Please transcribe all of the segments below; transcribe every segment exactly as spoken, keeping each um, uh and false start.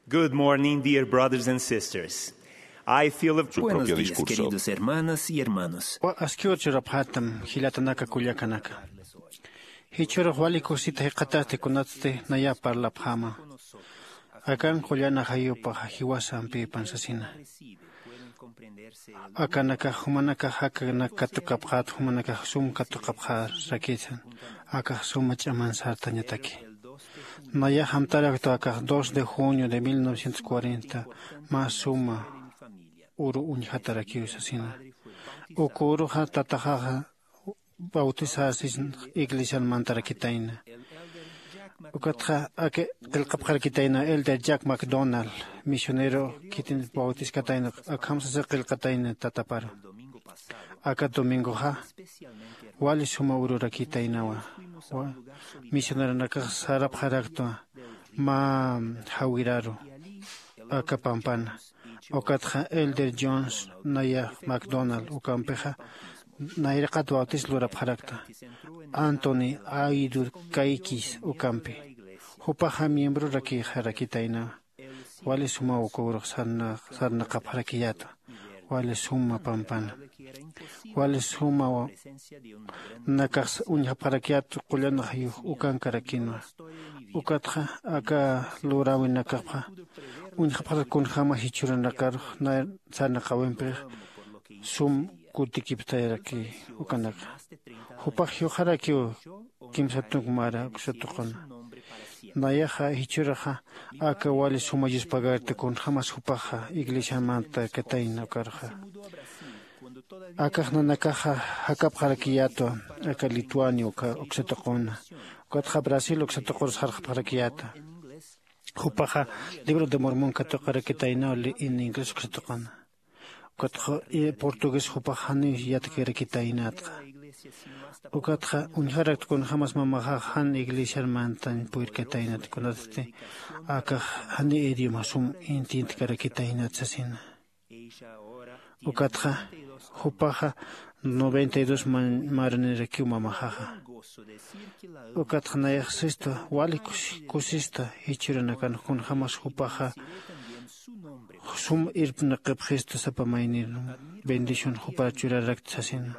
Good morning, dear brothers and sisters. I feel a... Su Buenos propio días, discurso. Queridos hermanas y hermanos. Wa askiw churapxätam jilatanaka kullakanaka. Jichhürux wali kusita jikxatasti kunatsti naya parlapxäma. Akan qullan ajayupaxa jiwasampipan sasina. Akanakax jumanakax jakanak katuqapxät, jumanakax sum katuqapxärakitan. Akax suma ch'aman sartañataki. Nayax amtaraktwa akax dos de junio de mil novecientos cuarenta, mä suma uru uñjatarakiw sasina. Uka uruxa tataxaxa bautizasis iglesian mantarakitayna. Ukatxa aka qillqapxarakitayna Elder Jack McDonald, misionero khitin bautizkatayna, akham sasa qillqatayna tataparu. Aka domingoxa wali suma ururakitaynawa. Wa misioneronakax sarapxaraktwa mä jawiraru aka pampana. Ukatxa Elder Jones naya McDonald ukampixa nayraqat bautizo lurapxarakta. Anthony Aidur Kaikis ukampi. Jupaxa miembrorakixarakitayna. Wali suma uka urux sarna-, sarnaqapxarakiyäta. Wali suma pampana. Wali suma wa-, nakax uñjapxarakiyät qullan ajayux ukankarakinwa. Ukatxa aka luräwinakapxa uñjapxarak kunjämas jichhüranakarux na-, sarnaqäwimpix sum kutikiptayaraki ukanaka. Jupax juyxarakiw kimsa tunk mara uksa tuquna. Nayaxa jichhüraxa aka wali suma yuspagarti kunjämas jupaxa iglesian mantakatayna ukarxa. Akax nanakaxa jakapxarakiyätwa aka Lituania uka uksa tuquna. Ukatxa Brasil uksa tuqur sarxapxarakiyäta. Jupaxa Libro de Mormon katuqarakitaynaw li-, in inglés uksa tuquna. Ukatxa, eh, portugués jupax janiw yatkirakitaynatxa. Ukatxa uñjarakt kunjämas mamaxax jan iglesiar mantañ purirkataynat kunatsti akax jani idioma sum entiendkarakitaynat sasina. Ukatxa jupaxa noventa y dos man-, maranirakiw mamaxaxa. Ukatxa nayax sista wali kus-, kusista jichhüranakan kunjämas jupaxa sum irpnaqipxista sapa maynir bendición jupar churarakta sasina.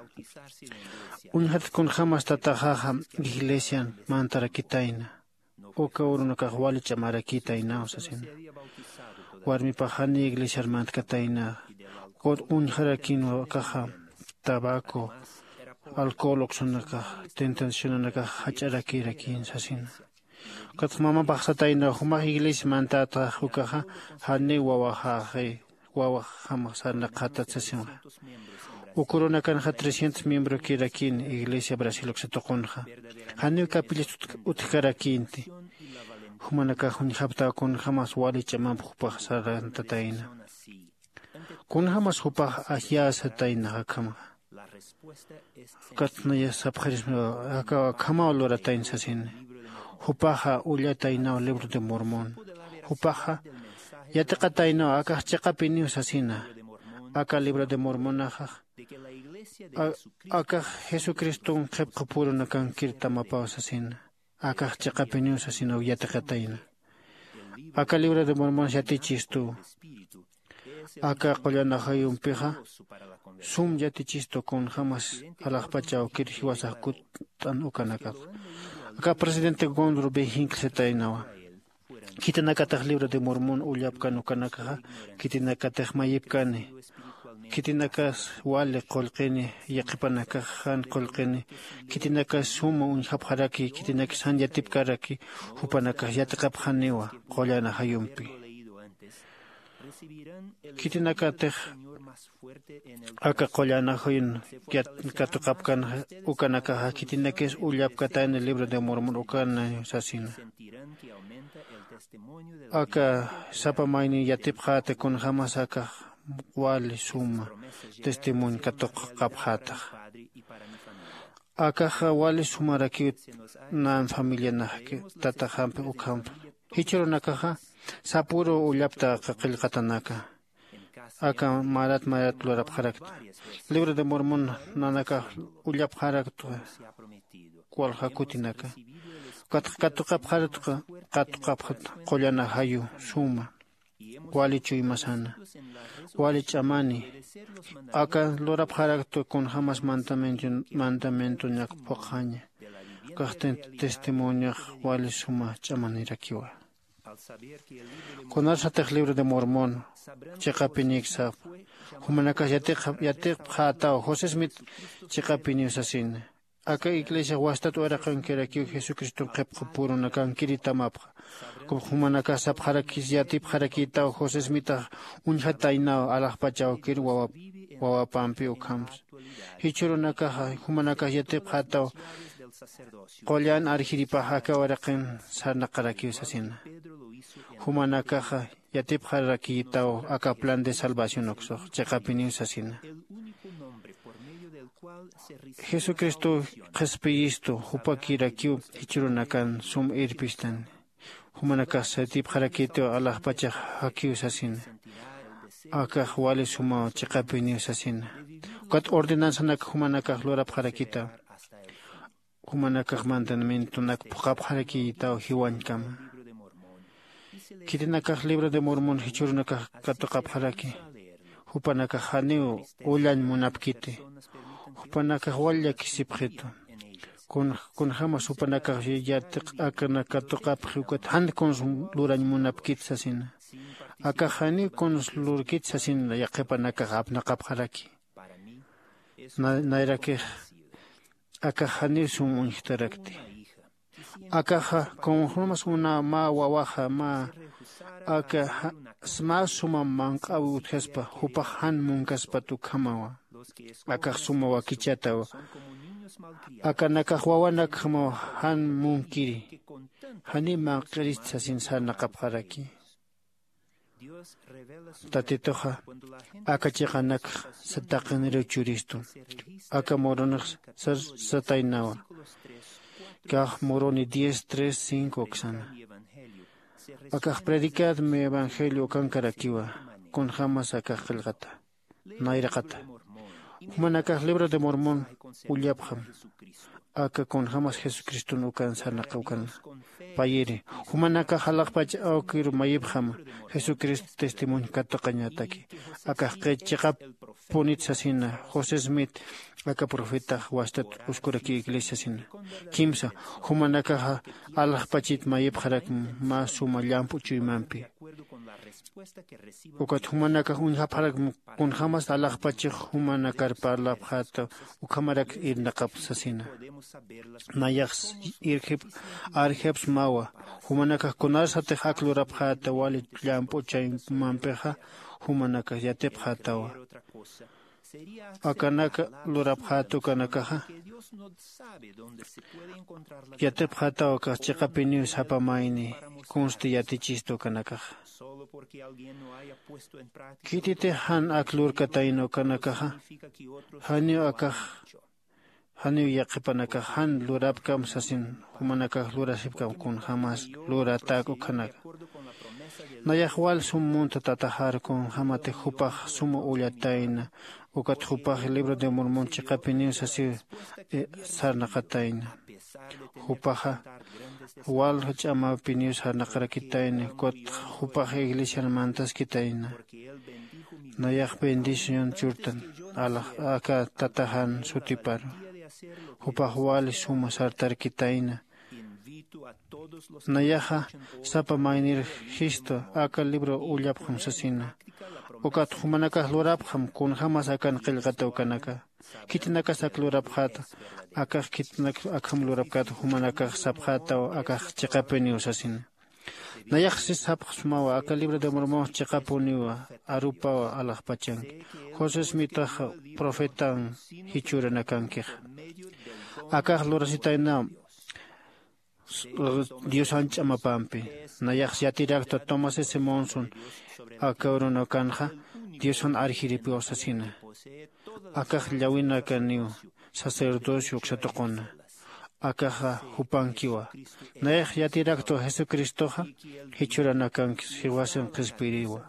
Uñjat kunjämas tataxaxa iglesian mantarakitayna. Uka urunakax wali ch'amarakitaynaw sasina. Warmipax jani iglesiar mantkatayna. Ukat uñjarakinwa akaxa tabaco, alcohol uksanakax, tentacionanakax jach'arakirakin sasina. Ukatxa mamapax satayna, jumax iglesia mantätax ukaxa janiw wawaxaxi, wawaxjamax sarnaqxatat sasinxa. Uk urunakanxa trescientos miembrokirakin iglesia Brasil uksa tuqunxa. Janiw capillas utj-, utjkarakinti. Jumanakax uñjapxtaw kunjämas wali ch'amamp jupax sarantatayna. Kunjämas jupax ajyasatayna akhamaxa. Ukat naya sapxirisma, aka, akhamaw luratayn sasini. Jupaxa ullataynaw Libro de Mormon. Jupaxa yatiqataynaw akax chiqapiniw sasina. Aka Libro de Mormonaxa, a-, akax Jesucriston qhipqapurunakankir tamapaw sasina. Akax chiqapiniw sasinaw yatiqatayna. Aka Libro de Mormon yatichistu. Aka qullan ajayumpixa sum yatichistu kunjämas alaxpach awkir jiwasax kutt'an ukanakata. Aka presidente Gordon B. Hinckley sataynawa. Khitinakatix Libro de Mormon ullapkan ukanakaxa, khitinakatix mayipkani. Khitinakas wali qullqini, yaqhipanakax jan qullqini, khitinakas suma uñjapxaraki, khitinakas jan yatipkaraki, jupanakax yatiqapxaniwa qullan ajayumpi. Khitinakatix aka qullan ajayun yat-, katuqapkan ukanakaxa, khitinakis ullapkatayna Libro de Mormon ukana sasina. Aka sapa maynin yatipxäta kunjämas akax wali suma testimonio katuqapxätax. Akaxa wali sumarakiw nan familianakki, tataxampi ukhampi. Jichhürunakaxa sapüru ullapta qillqatanaka. Aka marat marat lurapxarakta. Libro de Mormon nanakax ullapxarakta walja kutinaka. Kat-, katuqapxarakta, katuqapxarakta qullan ajayu suma. wali chuymasana, wali ch'amani. Aka lurapxaraktu kunjämas mandamientoñak phuqxaña. Ukax testimoniox wali suma ch'amanirakiwa. Kunasatix libro de mormon chiqapinïk sapxa, jumanakas yatipxätaw josé smith chiqapiniw sasina. Aka iglesiax wastat uraqankirakiw jesucriston qhipqapurunakankiritamapxa. Ukham jumanakas sapxarakis yatipxarakïtaw josé smithax uñjataynaw alaxpach awkir wawapampi ukhamsa. Jichhürunakaxa jumanakas yatipxätaw qullan arjiripax aka uraqin sarnaqarakiw sasina. Jumanakaxa yatipxarakïtaw aka plan de salvación uksux chiqapiniw sasina. Jesucristow qhispiyistu jupakirakiw jichhürunakan sum irpistani. Jumanakax yatipxarakïtiw alaxpachax jakiw sasina. Akax wali sumaw chiqapiniw sasina. Ukat ordenanzanak jumanakax lurapxarakïtaw. Jumanakax mandamientonak phuqhapxarakïtaw jiwañkama. Khitinakax libro de mormon jichhürunakax katuqapxaraki. Jupanakax janiw ullañ munapkiti. Jupanakax wal llakisipxitu. Kunjämas jupanakax yatiq akanak katuqapxi ukat jan kuns lurañ munapkit sasina. Akax janiw kuns lurkit sasina yaqhipanakax apnaqapxaraki. Nayrakix akax janiw sum uñjtarakti. Akaxa kunjämas una mä wawaxa mä aka mä suma manq'äwi utjaspa jupax jan munkaspat ukhamawa. Akax suma wakichatawa. Akanakax wawanakjamaw jan munkiri. Janiw manq'irist sasin sarnaqapxaraki. Tatituxa aka chiqanakx taqiniriw churistu. Aka muronix sar sataynawa. Kax muroni diez tres cinco uksana. Akax predicad mi evangelio ukankarakiwa. Kunjämas akax qillqata nayraqata. Jumanakax libro de mormon ullapxam. Aka kunjämas jesucriston ukan sarnaqawkana. Payiri jumanakax alaxpach awkiru mayipxama. Jesucristo testimonio katuqañataki. Akax qhich chiqapunit sasina josé smith aka profetax wastat uskuraki iglesia sasina. Kimsa jumanakaxa alaxpachit mayipxarakma mä suma llamp'u chuymampi. Ukat jumanakax uñjapxarakma kunjämas alaxpachix jumanakar parlapxäta ukhamarak irnaqap sasina. Nayax irjip arjipsmawa. Jumanakax kunarsatix ak lurapxäta wali llamp'u chaymampixa jumanakax yatipxätawa. Akanak lurapxäta ukanakaxa yatipxätaw akax chiqapiniw sapa mayni kunsti yatichistu ukanakaxa. Khititix jan ak lurkatayna ukanakaxa janiw akax janiw yaqhipanakax jan lurapkam sasin jumanakax lurasipkam kunjämas luratäk ukhanaka. Nayax wal sum munta tataxar kunjämatix jupax suma ullatayna ukat jupax libro de mormon chiqapiniw sasiw sarnaqatayna. Jupaxa wal ch'amapiniw sarnaqarakitayna ukat jupax iglesiar mantaskitayna. Nayax bendición churtan alax aka tataxan sutiparu. Jupax wali suma sartarkitayna. Nayaxa sapa maynir jistu aka libro ullapxam sasina. Ukat jumanakax lurapxam kunjämas akan qillqata ukanaka. Khitinakas ak lurapxäta akax khitinak akham lurapkäta jumanakax sapxätaw akax chiqapiniw sasina. Nayax sis sapxsmawa aka libro de mormon chiqapuniwa arupawa alaxpachanki. José smithax profetan jichhüranakankixa akax lurasitaynam diosan ch'amapampi. Nayax yatiraktwa tomás s monson aka urunakanxa diosan arjiripiw sasina. Akax llawinakaniw sacerdocio uksatuquna. Akaxa jupankiwa. Nayax yatiraktwa jesucristoxa jichhuranakanki siwasin qhispiriwa.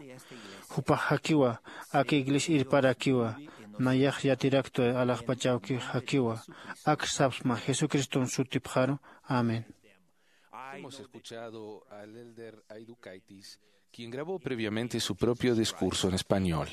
Jupax jakiwa aka iglesia irparakiwa. Nayax yatiraktwa alaxpachawki jakiwa. Ak sapsma jesucriston sutipxaru. Amén. Hemos escuchado al elder Aidu Kaitis quien grabó previamente su propio discurso en español.